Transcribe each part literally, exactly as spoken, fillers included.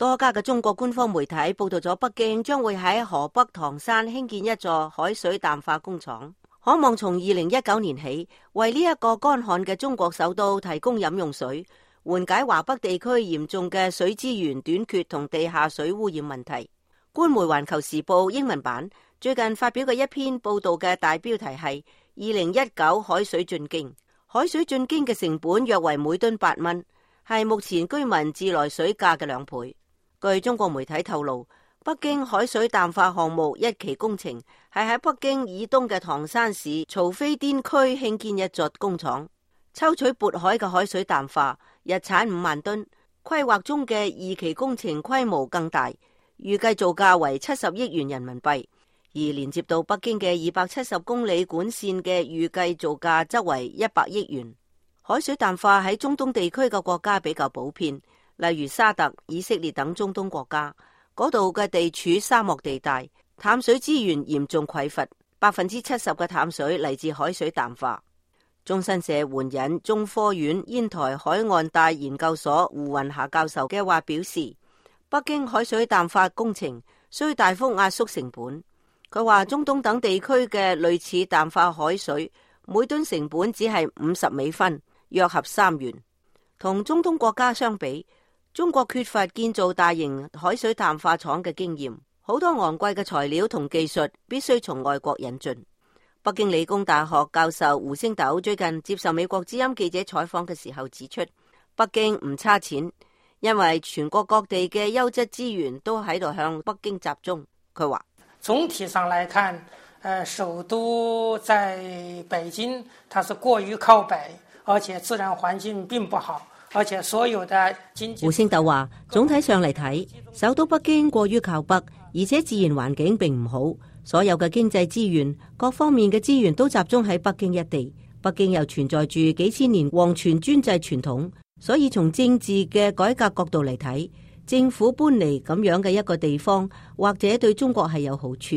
多家嘅中國官方媒體報道咗北京將會喺河北唐山興建一座海水淡化工廠，可望從二零一九年起為呢一個乾旱嘅中國首都提供飲用水，緩解華北地區嚴重嘅水資源短缺同地下水污染問題。官媒環球時報英文版最近發表嘅一篇報道嘅大標題係二零一九海水進京，海水進京嘅成本約為每噸八蚊，係目前居民自來水價嘅兩倍。據中國媒體透露，北京海水淡化項目一期工程係喺北京以東嘅唐山市曹妃甸區興建一座工廠，抽取渤海嘅海水淡化，日產五萬噸。規劃中嘅二期工程規模更大，預計造價為七十億元人民幣，而連接到北京嘅二百七十公里管線嘅預計造價則為一百億元。海水淡化喺中東地區嘅國家比較普遍。例如沙特、以色列等中東國家，嗰度嘅地處沙漠地帶，淡水資源嚴重匱乏，百分之七十嘅淡水嚟自海水淡化。中新社援引中科院煙台海岸帶研究所胡雲霞教授嘅話表示，北京海水淡化工程需大幅壓縮成本。佢話中東等地區嘅類似淡化海水，每噸成本只係五十美分，約合三元。同中東國家相比，中國缺乏建造大型海水淡化廠嘅經驗，好多昂貴嘅材料同技術必須從外國引進。北京理工大學教授胡星斗最近接受美國之音記者採訪嘅時候指出，北京唔差錢，因為全國各地嘅優質資源都喺度向北京集中。佢話總體上來看，呃，首都在北京，它是過於靠北，而且自然環境並不好。而且所有的經濟，胡星斗話，總體上嚟睇，首都北京過於靠北，而且自然環境並唔好，所有嘅經濟資源、各方面嘅資源都集中喺北京一地。北京又存在住幾千年皇權專制傳統，所以從政治嘅改革角度嚟睇，政府搬嚟咁樣嘅一個地方，或者對中國係有好處。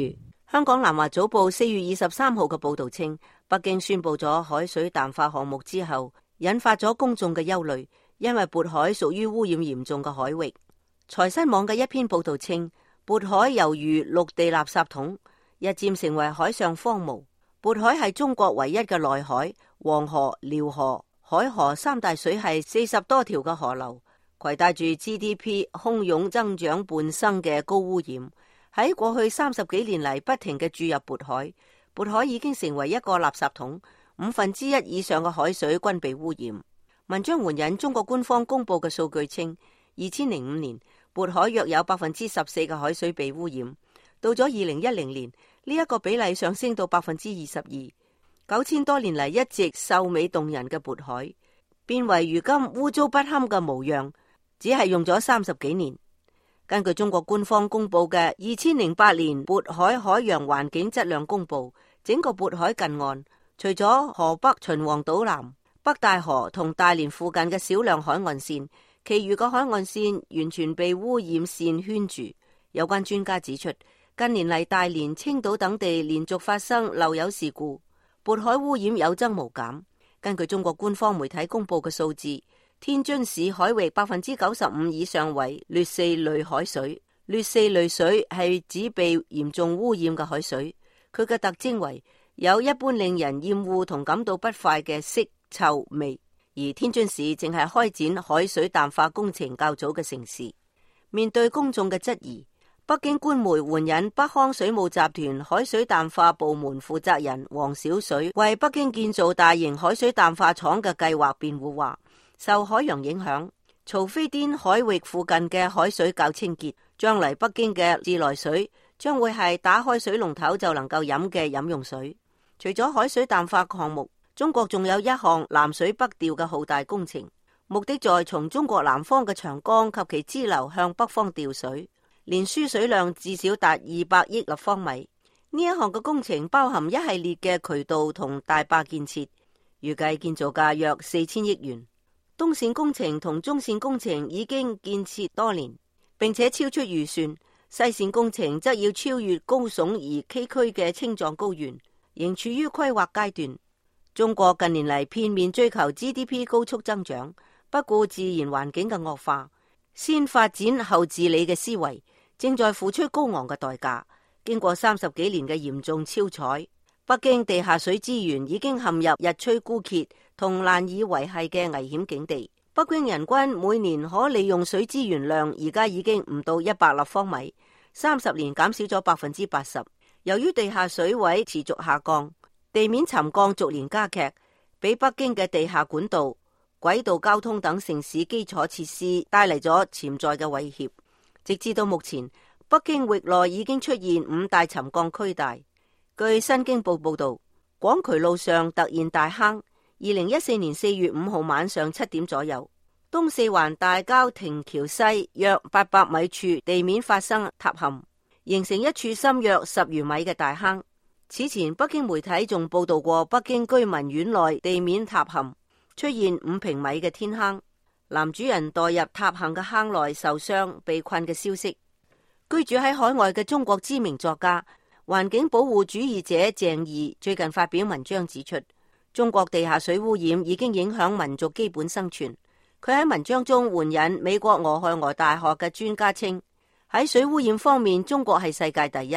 香港南華早報四月二十三號嘅報道稱，北京宣布咗海水淡化項目之後，引發咗公眾嘅憂慮。因為渤海屬於污染嚴重嘅海域，財新網嘅一篇報道稱，渤海猶如陸地垃圾桶，日漸成為海上荒蕪。渤海係中國唯一嘅內海，黃河、遼河、海河三大水系四十多條嘅河流，攜帶住 G D P 洶湧增長伴生嘅高污染。喺過去三十幾年嚟不停嘅注入渤海，渤海已經成為一個垃圾桶，五分之一以上嘅海水均被污染。文章援引中國官方公布嘅數據稱，二千零五年渤海約有百分之十四嘅海水被污染，到咗二零一零年呢一個比例上升到百分之二十二。九千多年嚟一直秀美動人嘅渤海，變為如今污糟不堪嘅模樣，只係用咗三十幾年。根據中國官方公布嘅二千零八年渤海海洋環境質量公布，整個渤海近岸，除咗河北秦皇島南、北戴河同大連附近嘅少量海岸線，其餘嘅海岸線完全被污染線圈住。有關專家指出，近年嚟大連、青島等地連續發生漏油事故，渤海污染有增無減。根據中國官方媒體公布嘅數字，天津市海域百分之九十五以上為劣四類海水。劣四類水係指被嚴重污染嘅海水，佢嘅特徵為有一般令人厭惡同感到不快嘅色、臭味。而天津市正係開展海水淡化工程較早嘅城市。面對公眾嘅質疑，北京官媒援引北康水務集團海水淡化部門負責人黃小水為北京建造大型海水淡化廠嘅計劃辯護話，受海洋影響，曹妃甸海域附近嘅海水較清潔，將嚟北京嘅自來水將會係打開水龍頭就能夠飲嘅飲用水。除咗海水淡化項目，中國仲有一項南水北調嘅浩大工程，目的在從中國南方嘅長江及其支流向北方調水，連輸水量至少達二百億立方米。呢一項嘅工程包含一系列嘅渠道同大壩建設，預計建造價約四千億元。東線工程同中線工程已經建設多年，並且超出預算。西線工程則要超越高聳而崎嶇嘅青藏高原，仍處於規劃階段。中國近年嚟片面追求 G D P 高速增長，不顧自然環境嘅惡化，先發展後治理嘅思維正在付出高昂嘅代價。經過三十幾年嘅嚴重超採，北京地下水資源已經陷入日趨枯竭同難以維繫嘅危險境地。北京人均每年可利用水資源量而家已經唔到一百立方米，三十年減少咗百分之八十。由於地下水位持續下降，地面沉降逐年加劇，俾北京嘅地下管道、軌道交通等城市基礎設施帶嚟咗潛在嘅威脅。直至到目前，北京域內已經出現五大沉降區帶。據新京報報道，廣渠路上突現大坑。二零一四年四月五號晚上七點左右，東四環大郊亭橋西約八百米處地面發生塌陷，形成一處深約十餘米嘅大坑。此前北京媒體仲報道過北京居民院內地面塌陷，出現五平米嘅天坑，男主人墮入塌陷嘅坑內受傷被困嘅消息。居住喺海外嘅中國知名作家、環境保護主義者鄭義最近發表文章指出，中國地下水污染已經影響民族基本生存。佢喺文章中援引美國俄亥俄大學嘅專家稱，喺水污染方面，中國係世界第一。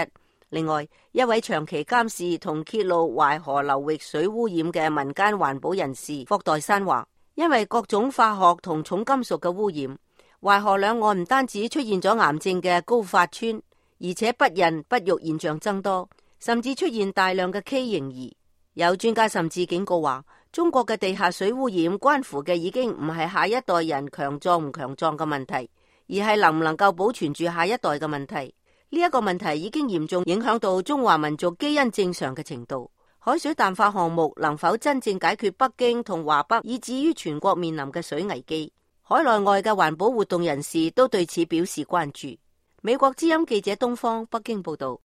另外，一位長期監視同揭露淮河流域水污染嘅民間環保人士霍代山話，因為各種化學同重金屬嘅污染，淮河兩岸唔單止出現咗癌症嘅高發村，而且不孕不育現象增多，甚至出現大量嘅畸形兒。有專家甚至警告話，中國嘅地下水污染關乎嘅已經唔係下一代人強壯唔強壯嘅問題，而係能唔能夠保存住下一代嘅問題。呢一個問題已經嚴重影響到中華民族基因正常嘅程度。海水淡化項目能否真正解決北京同華北以至於全國面臨嘅水危機？海內外嘅環保活動人士都對此表示關注。美國之音記者東方北京報道。